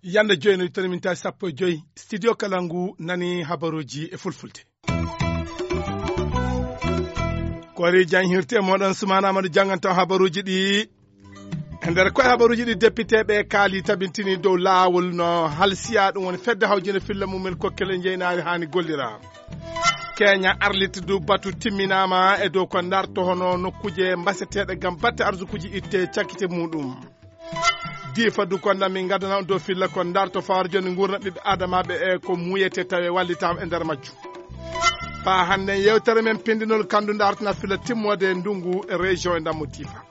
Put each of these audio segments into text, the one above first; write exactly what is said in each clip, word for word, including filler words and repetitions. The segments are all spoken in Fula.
Yande joyi no tani mintaji sappo e joyi, studio kala ngu nani habaruji e fulfulde. Koori jan hirte moɗon Sumana Amadou janganta habaruji ɗi. E nder koye habaruji ɗi, depiteɓe kaali tabintini dow laawol no halsiya ɗum woni fedde hawjinde filla mumel kokkele njeynaari haani gollira. Kenya arlit du batu timminama e dow ko darto hono nokkuje mbaseteɗe gam batte arsukuji itte cakkite muɗum. Difa du konda min gadana on dow filla ko darto fawar joni gurna ɓiɓɓe adamaɓe e ko muyete tawe wallitama e nder majju. Fa hande yewtere men pindinol kandu dartana filla timmode ndungu e région e ndammo Difa.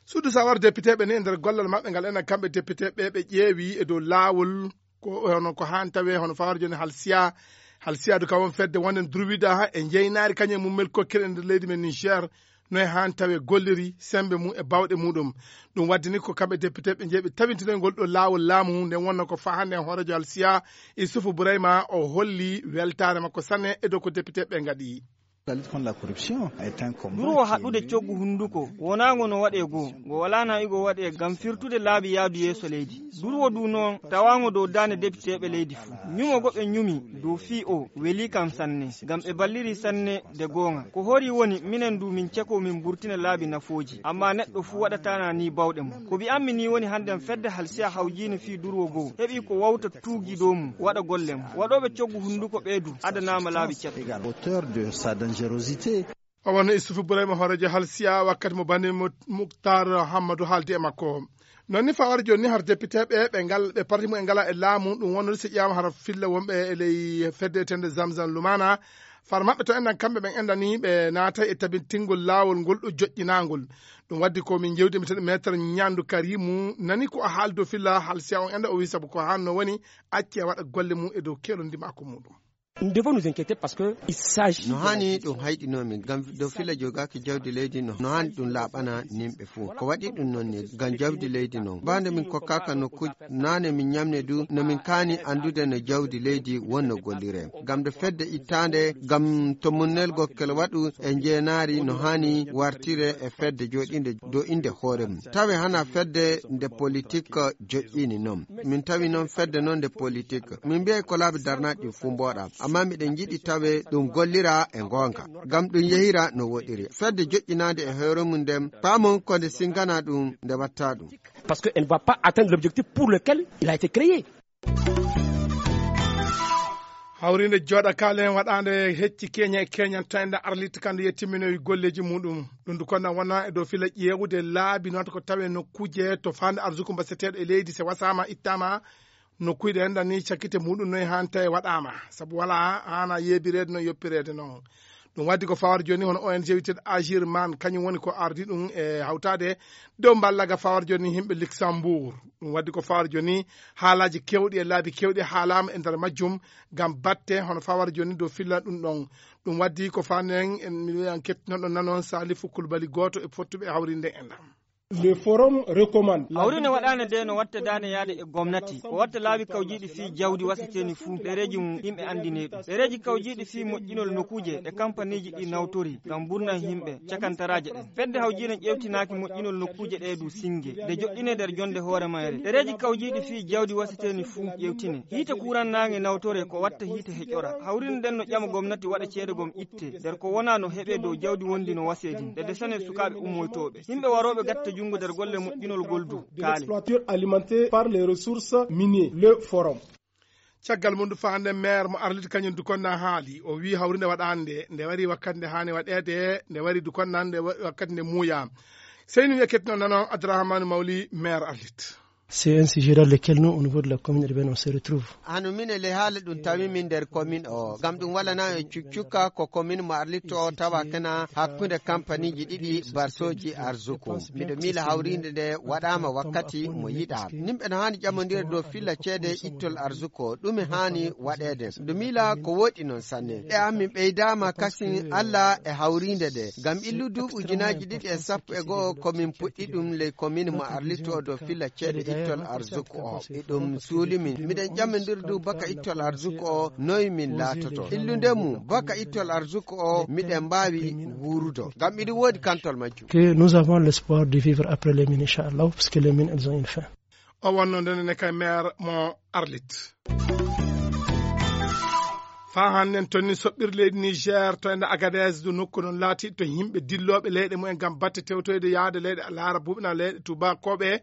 Suudu sawar depiteɓe ni e nder gollal maɓɓe ngal ena kamɓe depiteɓe ɓe ƴeewi e dow laawol ko hono ko han tawe hono fawar joni halsiya. Halsiya du kawon fedde wonden druwida e jeynaari kañum e mummel kokkir e nder leydi men Niger. No e han tawe golliri sembe mum e bawɗe muɗum. Ɗum waddini ko kamɓe depiteɓe jeeɓe tabintinoygol ɗo laawol laamu nden wonno ko fa hande hoorejo halsiya Isufu Burayma o holli weltaare makko sanne e dow ko depiteɓe ngaɗi. Durwo haɗɗude coggu hunnduko wonaango no waɗee goo, ngo walaa na'igo waɗee ngam firtude laabi yaadu yeeso leydi. Durwo du noon tawaango dow daande depiteeɓe leydi fuu. Ñumo go ɓe ñumi dow fii o welii kam sanne, ngam ɓe balliri sanne de goonga. Ko horii woni minen du min cekoo min mburtina laabi nafooji, ammaa neɗɗo fuu waɗataana nii bawɗe mum. Ko mbi'anmi nii woni hannden fedde halsiya hawjiini fii durwo goo heɓii ko wawta tuugi dow mum waɗa golle mum. Waɗooɓe coggu hunnduko ɓee du adanaama laabi caɗɗi. Également auteur de sa dangerosité. O wonno Issoufou Bourayma hooreejo halsiya wakkati mo Bani Muktar Hammadu haaldi e makko. Noon ni fawar jooni ni har depiteeɓe ɓe ngal ɓe parti mum e ngala e laamu ɗum wonnode so ƴeewaama har filla wonɓe e ley fedde etende Zamzam Lumana. Far maɓɓe to enɗan kamɓe ɓen enɗani ɓe naata e tabintingol laawol ngol ɗo joƴƴinaangol. Ɗum waddi ko min jewdi mbiyeteeɗo maître Ñandu Karimu nani ko a haaldo filla halsiya on enɗa o wi sabu ko hanno woni acce waɗa golle mum e dow kelondi makko muɗum. Nous devons nous inquiéter parce que il s'agit no de la haani gestion. Ɗum hayɗinoo min ngam dow fila jogaaki jawdi leydi no no haani ɗum laaɓana nimɓe fof ko waɗi ɗum noon ni ngam jawdi leydi noon bande min kokkaaka nokkuuji naane min ñamne du no min kaani anndude no jawdi leydi wonno gollire ngam nde fedde ittaande ngam to munnelgo kele waɗu e njeenaari no haani wartire e fedde jooɗinde dow innde hoore mum tawe hana fedde nde politique joƴƴini noon. Min tawi noon fedde noon nde politique min mbiyay ko laabi darnaaɗi ɗin fuu mbooɗa amma miɗen njiɗi tawe ɗum gollira e ngoonga ngam ɗum yehira no woɗiri fedde joƴƴinaande e hoore mum nden paamon ko nde singana ɗum nde watta ɗum. Parce que elle ne va pas atteindre l'objectif pour lequel il a été créé. Hawrinde jooɗa kaalen waɗaande hecci keña e keñan to enda arlitta kande yettimminowi golleeji muɗum. Ɗum du konna wona e dow fila ƴeewude laabi noon ko tawe nokkuuje to faande arsuku mbaseteeɗo e leydi se wasaama ittaama. Nokkuuji ɗe enɗan ni cakkite muɗum noye hanta e waɗaama sabu wala haana yeebireede no yoppireede noon. Ɗum waddi ko fawar jooni hono ong witeeɗo agir man kañum woni ko ardi ɗum e hawtaade dow mballaga fawar jooni yimɓe luxembourg. Ɗum waddi ko fawar jooni haalaaji kewɗi e laabi kewɗi haalaama e nder majjum ngam batte hono fawar jooni dow filla ɗum ɗon. Ɗum waddi ko faanen en miɗoyan kettinoɗo nanon salifu kulbali gooto e fottuɓe e hawrinde enɗan. Le forum recommande hawri ne waɗaane de no watta daane yaade e gomnati ko watta laabi kawjiiɗi fii jawdi wasiteeni fuu ɗereeji mum yimɓe anndinee ɗum ɗereeji kawjiiɗi fii moƴƴinol nokkuuje ɗe kampaniiji ɗi nawtori ngam mburnan yimɓe cakantaraaje ɗen fedde hawjiine ƴeewtinaaki moƴƴinol nokkuuje ɗee du sinnge nde joɗɗinee nder jonnde hoore mayre ɗereeji kawjiiɗi fii jawdi wasiteeni fuu ƴeewtine hiite kuuran naange nawtore ko watta hiite heƴora hawrinde ɗen no ƴama gomnati waɗa ceede gom itte nder ko wonaa no heɓee dow jawdi wondi no waseedi nde desanee sukaaɓe ummoytooɓe yimɓe warooɓe gatta junngo nder golle moƴƴinol ngol du kaale. Exploiteur alimenté par les ressources minier le forum. Caggal mum du faande maire mo arliti kañum du konna haali o wi hawrinde waɗaande nde wari wakkati nde haani waɗeede nde wari du konna nde wakkati nde muuya. Seyni wiya kettino nanon Abdourahmane Mawli maire arlit. C'est un sujet dans lequel nous au niveau de la commune urbaine on se retrouve. Hano mine le haala ɗum tawi min nder commune o ngam ɗum walana e cuccuka ko commune mo arlitto o tawa kena hakkunde kampaniji ɗiɗi barsoji arzuku miɗo miila hawrinde nde waɗama wakkati mo yiɗa nimɓe no hani ƴamodira dow filla ceede ittol arzuko ɗume hani waɗede miɗo miila ko woɗi noon sanne e amin ɓeydama kasin allah e hawrinde nde ngam illu duuɓi ujunaji ɗiɗi e sappo e go'o komin puɗɗi ɗum ley commune mo arlitto o dow filla ceede ittol arzuku o. Eɗum suuli min. Miɗen ƴammindir du baka ittol arzuku o, noy min laatoto. Illude mum, baka ittol arzuku o, miɗen mbaawi wuurudo. Ngam miɗi woodi kantol majjum. Que nous avons l'espoir de vivre après les mines, Inch'Allah, parce que les mines, elles ont une fin. O wonno ndenen e kay maire mo Arlit. Faa hannden tonni soɓɓir leydi Niger to enda Agadez, du nokku non laati to yimɓe dillooɓe leyɗe mumen ngam batte tewtoyde yaade leyɗe Laarabuɓe na leyɗe Tuubakooɓe.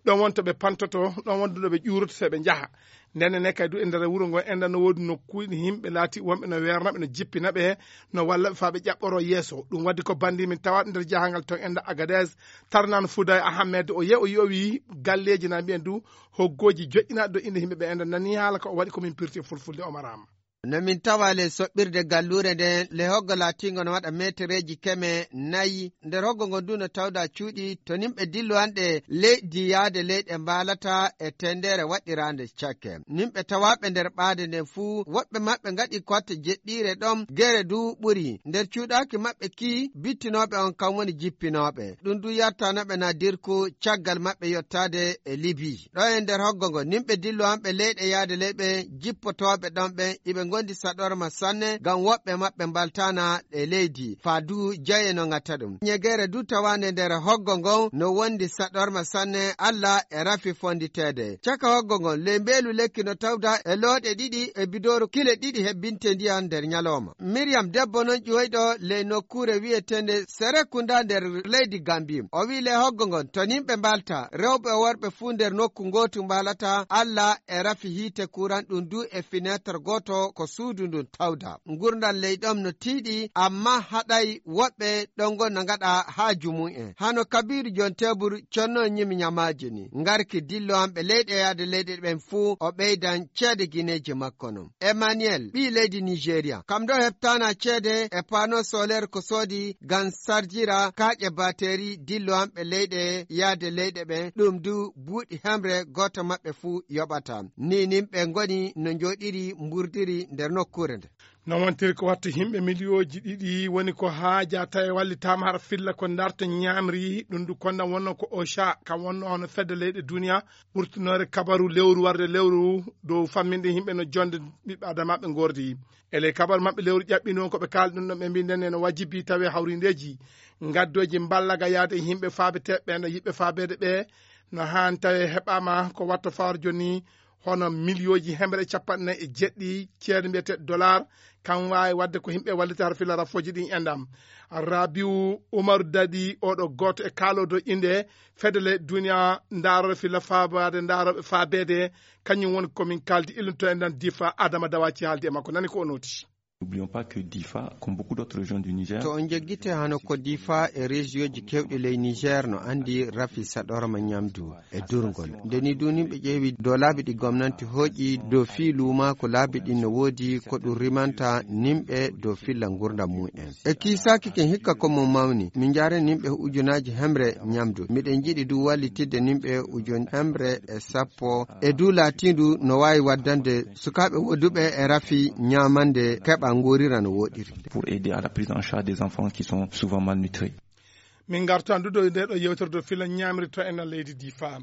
Ɗon won to ɓe pantoto, ɗon won du ɗo ɓe ƴuuroto so ɓe njaha. Ndenen ne kay du e nder wuro ngo enda no woodi nokkuuji yimɓe laati wonɓe no weerna ɓe, no jippina ɓe, no walla ɓe faa ɓe ƴaɓɓoro yeeso. Ɗum waddi ko bandi min tawaɗo nder jahangal to enda Agadez, Tarnan Fuday Ahmed, o ye-, o yowi galleeji na mbiyen du hoggooji joƴƴinaaɗi do innde yimɓe ɓe enda nani haala ko o waɗi ko min pirti e fulfulde Omar Am. No min tawa le soɓɓirde galluure nden, le hoggo laatingo no waɗa meetereeji keme nayi. Nder hoggo ngon du no tawda cuuɗi to nimɓe dillowanɗe leydi yaade leyɗe mbaalata e tendere waɗɗiraande cakke. Nimɓe tawaaɓe nder ɓaade nden fuu, woɓɓe maɓɓe ngaɗi kotte jeɗɗiire ɗon, gere du ɓuri. Nder cuuɗaaki maɓɓe ki, bittinooɓe on kam woni jippinooɓe. Ɗum du yartanaɓe na dirku caggal maɓɓe yottaade e Libi. Ɗo e nder hoggo ngo, nimɓe dillowanɓe leyɗe yaade leyɓe jippotooɓe ɗon ɓen, iɓe ngondi saɗorma sanne, ngam woɓɓe maɓɓe mbaltana e leydi, faa du jaye no ŋatta ɗum. Ñegere du tawaande nder hoggo ngon no wondi saɗorma sanne, Alla e rafi fonditeede. Caka hoggo ngon, ley mbeelu lekki no tawda e looɗe ɗiɗi e bidooru kile ɗiɗi hebbinte ndiyan nder ñalooma. Miriam, debbo non ƴiwoyɗo ley nokkuure wi'eteende Serekunda nder leydi Gambi. O wi'i le hoggo ngon, to nimɓe mbalta, rewɓe e worɓe fuu nder nokku ngootu mbalata, Alla e rafi hiite kuran ɗum du e fineeter gooto ko suudu ndun tawda. Ngurndan ley ɗon no tiiɗi, amma haɗay woɓɓe ɗon ngon no ngaɗa haaju mum en. Hano Kabiru Jon Tebur conno ñimi ñamaaji ni. Ngarki dillowanɓe leyɗe yaade leyɗe ɓen fuu, o ɓeydan ceede gineeji makko non. Emmanuel, ɓii leydi Nigeria, kam ɗo heɓtaana ceede e panneau solaire ko soodi ngam sarjira kaaƴe batterie dillowanɓe leyɗe yaade leyɗe ɓen, ɗum du buuɗi hemre gooto maɓɓe fuu yoɓata. Ni nimɓe ngoni no njooɗiri mburdiri nder nokkuure nde. No wontiri ko wattu yimɓe miliyooji ɗiɗi woni ko haaja tawi wallitaama hara filla ko ndarta ñaamri, ɗum du konda wonno ko OCHA, kam wonno hono fedde leyɗe duniya, ɓurtunoore kabaru lewru warde lewru dow famminde yimɓe no jonde ɓiɓɓe adamaaɓe ngordi. E ley kabaru maɓɓe lewru ƴaɓɓiino ko ɓe kaalɗi ɗum ɗon, ɓe mbii nden no wajibi tawi hawrindeeji ngaddooji mballaga yaade e yimɓe faabeteeɓe ɓe, no yiɓɓe faabeede ɓe, no haan tawi heɓaama ko watta fawar jooni hono miliyooji hemre capanɗe nayi e jeɗɗi ceede mbiyetee dollar, kam waawi waɗde ko yimɓe wallita har filla rafooji ɗin endam. Rabiu Umaru Dadi, oɗo gooto e kaaloodo innde fedele duniya ndaarooɓe filla faabaade, ndaarooɓe faabeede, kañum woni ko min kaaldi illuto e nden Difa. Adama Dawaci haaldi e makko, nani ko o nooti. N'oublions pas que Difa, comme beaucoup d'autres régions du Niger, to on joggite hano ko Difa e région ji kewɗi ley Niger no andi rafi saɗorma ñamdu e durgol. Nde ni du nimɓe ƴeewi dow laabi ɗi gomnanti hooƴi dow fii luumaaku laabi ɗin no woodi ko ɗum rimanta nimɓe dow filla ngurdam mum en. E kiisaaki ken hikka ko mo mawni, min njaare nimɓe ujunaaji hemre ñamdu. Miɗen njiɗi du wallitidde nimɓe ujun hemre e sappo. E du laatindu no waawi waddande sukaaɓe wooduɓe e rafi ñaamande keɓa nguurira no wooɗiri. Pour aider à la prise en charge des enfants qui sont souvent malnutris. Min ngartu anndude nde ɗo yewtere dow filla ñaamri to ena leydi Difa.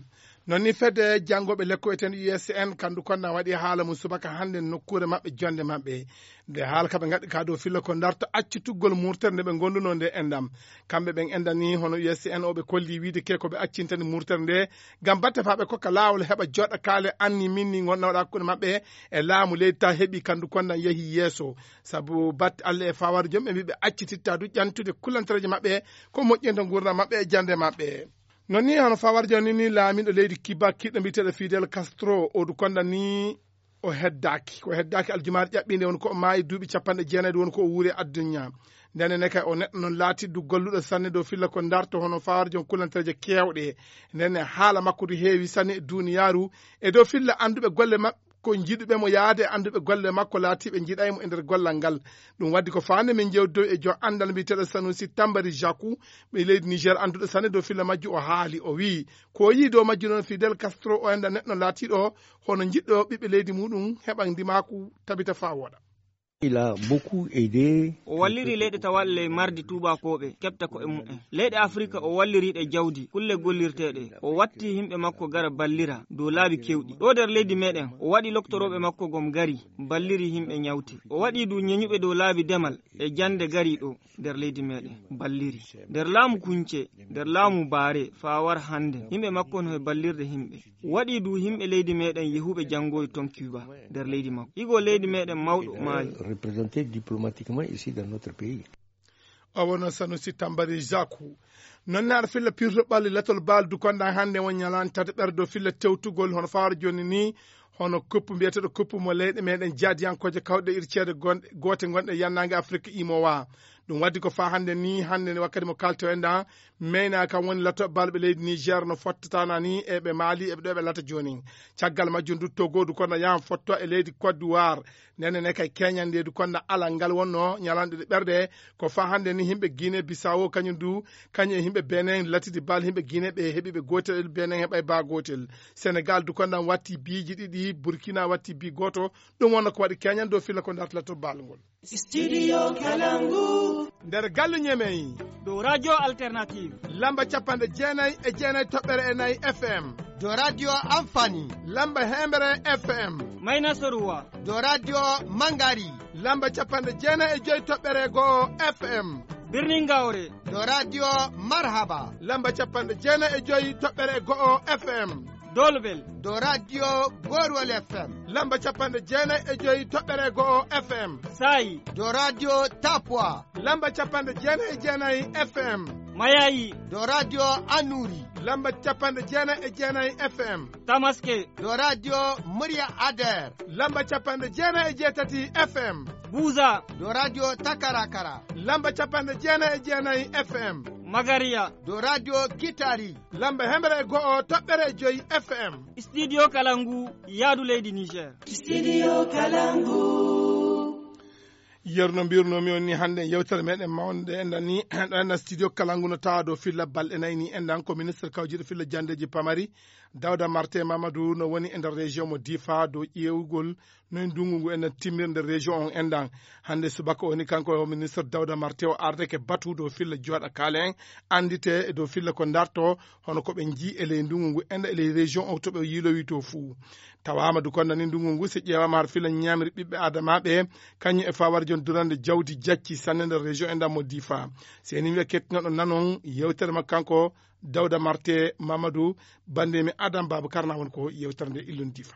Non ni fedde janngooɓe lekko eten U S N, kandu konna waɗi haala mum subaka hannde nokkuure maɓɓe jonde maɓɓe. Nde haala ka ɓe ngaɗi ka dow filla ko ndarta accitugol murtere nde ɓe ngonduno nde endam. Kamɓe ɓen endani hono U S N o ɓe kolli wiide ke ko ɓe accintani murtere nde ngam batte faa ɓe kokka laawol heɓa joɗa kaale anni minni ngonɗa waɗa hakkunde maɓɓe e laamu leydi ta heɓi kandu kondan yehi yeeso. Sabu batte Allah e fawar jom ɓe mbi ɓe accititta du ƴantude kullantereeje maɓɓe ko moƴƴinta ngurdam maɓɓe e jande maɓɓe. Non ni hono fawar jom ni, ni laamiɗo leydi Kiba kiɗɗo mbiyeteɗo Fidel Castro o du kondan ni o heddaaki. Ko heddaaki aljumaare ƴaɓɓiinde woni ko o maayi duuɓi capanɗe jeenayi woni ko o wuuri e addunya. Nden ne kay o neɗɗo non laatiɗo golluɗo sanne dow filla ko ndarto hono fawar jom kullantereeje keewɗe. Nden ne haala makko du heewi sanne e duniyaaru e dow filla annduɓe golle maɓɓe ko jiɗuɓe mo yaade e annduɓe golle makko laatiiɓe jiɗay mo e nder gollal ngal. Ɗum waddi ko faande min jewtidow e jom anndal mbiyeteɗo Sanusi Tambari Jaku, ɓe leydi Niger annduɗo sanne dow filla majju o haali o wi'i ko o yi'i dow majju noon Fidel Castro o enda neɗɗo laatiiɗo hono jiɗɗo ɓiɓɓe leydi muɗum heɓa ndimaaku tabita faa wooɗa. Il a beaucoup aidé. O walliri leyɗe tawaaɗe ley mardi tuubaakooɓe keɓta ko'e mumen. Leyɗe Afirka o walliri ɗe jawdi, kulle gollirteeɗe. O watti yimɓe makko gara ballira dow laabi kewɗi. Ɗo nder leydi meɗen, o waɗi loktorooɓe makko gom gari, balliri yimɓe ñawti. O waɗi du ñeñuɓe dow laabi demal e jannde gari ɗo nder leydi meɗen, balliri. Nder laamu Kunce, nder laamu Baare, faa war hannde, yimɓe makko no e ballirde yimɓe. Waɗi du yimɓe leydi meɗen yehuɓe janngoy ton Cuba nder leydi makko. Igo leydi meɗen mawɗo maayi. Représenté diplomatiquement ici dans notre pays. O wonno Sanusi Tambari Zaku. Noon ne aɗa filla pirto ɓalli latol baal dukonɗan hannde won ñalaan tata ɓerdo filla tewtugol hono faaro jooni ni, hono koppu mbiyeteeɗo koppu mo leyɗe meɗen jaadiyankooje kawɗe irceede gonɗe, goote gonɗe yannaange Afirka imowa. Ɗum waddi ko faa hannde ni, hannde ni wakkati mo kalto en ɗan, meyna kam woni lato balɓe leydi Niger no fottataana ni e ɓe Mali e ɓe ɗo ɓe lata jooni. Caggal majjum du Togo du kono yahan fotto e leydi Côte d'Ivoire. Nene ne kay Kenya nde du kono alal ngal wonno ñalanɗe ɗe ɓerde. Ko faa hannde ni yimɓe Guinée Bissau kañum du, kañum e yimɓe Benin latidi bal yimɓe Guinée ɓe heɓi ɓe gootel, Benin heɓay ba gootel. Senegal du kono watti biiji ɗiɗi, Burkina watti bi gooto. Ɗum wonno ko waɗi Kenya dow filla ko darta lato bal ngol. Studio Kalangu. Nder galle Ñemey. Dow Radio Alternative. Lamba capanɗe jeenay e jeenay toɓɓere e nayi F M. Dow Radio Amfani. Lamba hemere F M. Mayna Soruwa. Dow Radio Mangari. Lamba capanɗe jeenay e joy toɓɓere go'o F M. Birnin Gawre. Dow Radio Marhaba. Lamba capanɗe jeenay e joy toɓɓere go'o F M. Dolbel. Dow Radio Gorwol F M. Lamba capanɗe jeenay e joy toɓɓere go'o F M. Saayi. Dow Radio Tapua. Lamba capanɗe jeenay e jeenay F M. Mayayi. Dow Radio Anuri. Lamba capanɗe jeenay e jeenay F M. Tamaske. Dow Radio Murya Ader. Lamba capanɗe jeenay e jeetati F M. Buza. Dow Radio Takarakara. Lamba capanɗe jeenay e jeenay F M. Magariya. Dow Radio Kitari. Lamba hemre e go'o toɓɓere e joy F M. Studio Kalangu, yaadu leydi Niger. Studio Kalangu. Yerno mbirnomi on ni hannde yewtere meɗen mawnde enɗan ni ɗo enɗan studio Kalangu no tawa dow filla balɗe nayi ni enɗan ko ministre kawjiɗo filla jandeji pamari Dawda Marte Mamadou no woni e nder région mo Difa dow ƴeewugol no e ndungu ngu enɗan timmirde région on enɗan. Hannde subaka o ni kanko o ministre Dawda Marte o ardeke batu dow filla jooɗa kaale en anndite e dow filla ko darto hono ko ɓe njii e ley ndungu ngu enɗan e ley région o to ɓe yiilowi to fuu. Tawaama du kono ni ndungu ngu si ƴeewaama har filla ñaamri ɓiɓɓe adamaaɓe kañum e fawar jon durande jawdi jacci sanne nder région enɗan mo Difa. Si en wiya kettinoɗo nanon yewtere makko kanko Dawda Marte Mamadou, bannde mi Adam Babou Karna won ko yewtere nde illon Difa.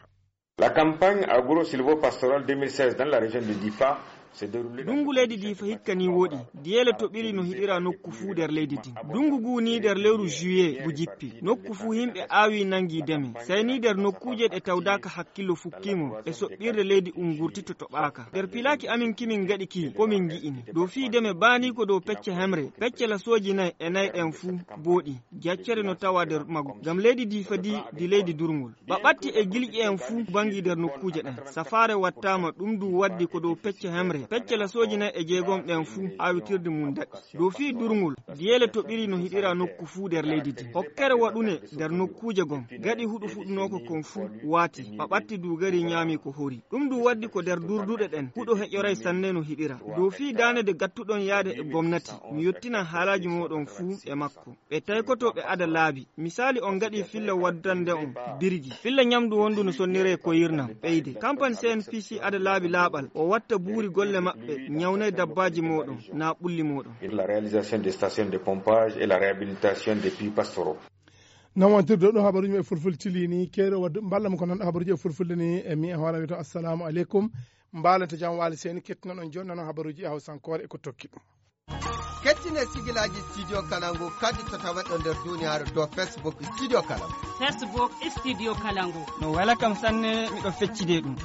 La campagne agro-sylvo-pastorale deux mille seize dans la région de Difa s'est déroulée dans... Ndungu leydi Difa hikka ni woɗi. Diyeele toɓiri no hiɗira nokku fuu nder leydi din. Ndungu ngu ni nder lewru juillet ngu jippi. Nokku fuu yimɓe aawi nangi deme. Sai ni nder nokkuuje ɗe tawdaaka hakkillo fukkimo e soɓɓirde leydi ungurti to toɓaaka. Nder pilaaki amin kimin gaɗi ki ko min ngi'ini. Dow fii deme baani ko dow pecce hemre. Pecce lasooji nay e nay ɗen fuu booɗi. Jaccere no tawa nder maggu. Ngam leydi Difa di, di leydi durngol. Ɓaɓatti e gilƴi en fuu bangi nder nokkuuje ɗen. Safaare wattaama ɗum du waddi ko dow pecce hemre. Pecce lasooji nay e jeegom ɗen fuu awitirde mum daɗi. Dow fii durngol, diyeele toɓiri no hiɗira nokku fuu nder leydi di. Hokkere waɗune nder nokkuuje gom. Gaɗi huɗo fuɗunooko kon fuu waati. Ɓaɓatti du gari ñaami ko hori. Ɗum du waddi ko nder durduɗe ɗen. Huɗo heƴoray sanne no hiɗira. Dow fii daanede gattuɗon yaade e gomnati. Mi yottinan haalaaji mooɗon fuu e makko. Ɓe taykotooɓe ada laabi. Misaali, on ngaɗi filla waddande on birgi. Filla ñamdu wondu no sonniree koyirnam ɓeyde. Campagne C N P C ada laabi laaɓal. O watta buuri golle maɓɓe, ñawnay dabbaaji mooɗon, naa ɓulli mooɗon. La réalisation des stations de pompage et la réhabilitation des puits pastoraux. Noon wontirde ɗo habaruuji men fulfulde tilini, keeɗo wadde mballa mo ko noon habaruuji e fulfulde ni, e mi e hoore wiyto assalamu aleykum. Mbaalante jam waali seni kettinoɗon jooni noon habaruuji e hawsankoore e ko tokki ɗum. Kettine sigilaaji Studio Kalangu kadi to taweɗo nder duniyaaru dow Facebook Studio Kalangu. Facebook Studio Kalangu. No wela kam sanne, miɗo feccide ɗum.